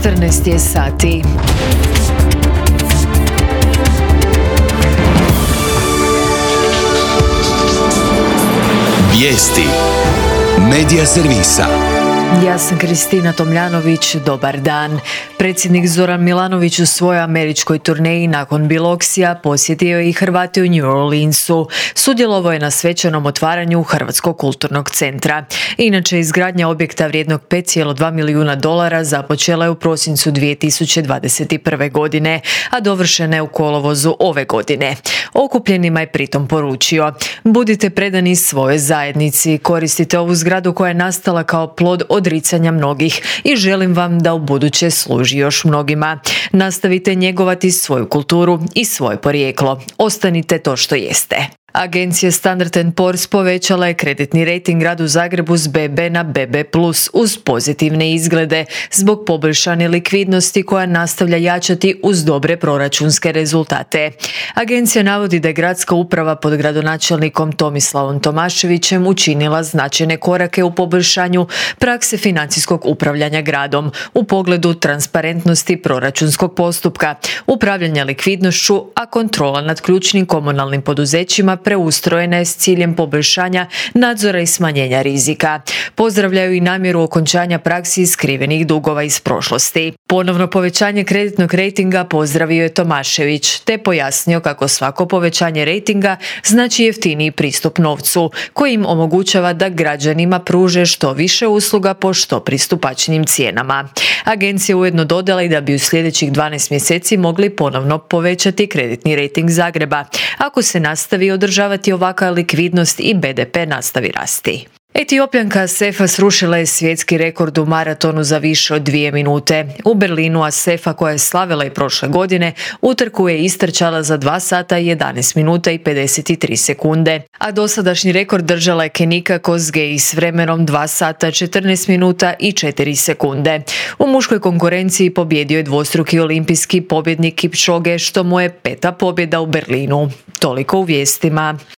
14 je sati. Vijesti Medija servisa. Ja sam Kristina Tomljanović, dobar dan. Predsjednik Zoran Milanović u svojoj američkoj turneji nakon Biloxija posjetio je i Hrvate u New Orleansu. Sudjelovao je na svečanom otvaranju Hrvatskog kulturnog centra. Inače, izgradnja objekta vrijednog $5,2 milijuna započela je u prosincu 2021. godine, a dovršena je u kolovozu ove godine. Okupljenima je pritom poručio: budite predani svojoj zajednici, koristite ovu zgradu koja je nastala kao plod odricanja mnogih i želim vam da ubuduće služi još mnogima. Nastavite njegovati svoju kulturu i svoje porijeklo. Ostanite to što jeste. Agencija Standard & Poor's povećala je kreditni rejting gradu Zagrebu s BB na BB+, uz pozitivne izglede zbog poboljšane likvidnosti koja nastavlja jačati uz dobre proračunske rezultate. Agencija navodi da je gradska uprava pod gradonačelnikom Tomislavom Tomaševićem učinila značajne korake u poboljšanju prakse financijskog upravljanja gradom u pogledu transparentnosti proračunskog postupka, upravljanja likvidnošću, a kontrola nad ključnim komunalnim poduzećima preustrojena je s ciljem poboljšanja nadzora i smanjenja rizika. Pozdravljaju i namjeru okončanja praksi skrivenih dugova iz prošlosti. Ponovno povećanje kreditnog rejtinga pozdravio je Tomašević, te pojasnio kako svako povećanje rejtinga znači jeftiniji pristup novcu, koji im omogućava da građanima pruže što više usluga po što pristupačnim cijenama. Agencija ujedno dodala i da bi u sljedećih 12 mjeseci mogli ponovno povećati kreditni rejting Zagreba, ako se nastavi održavati ovakva likvidnost i BDP nastavi rasti. Etiopljanka Asefa srušila je svjetski rekord u maratonu za više od 2 minute. U Berlinu Asefa, koja je slavila i prošle godine, utrku je istrčala za 2 sata 11 minuta i 53 sekunde, a dosadašnji rekord držala je Kenika Kosgei s vremenom 2 sata 14 minuta i 4 sekunde. U muškoj konkurenciji pobjedio je dvostruki olimpijski pobjednik Kipchoge, što mu je 5. pobjeda u Berlinu. Toliko u vijestima.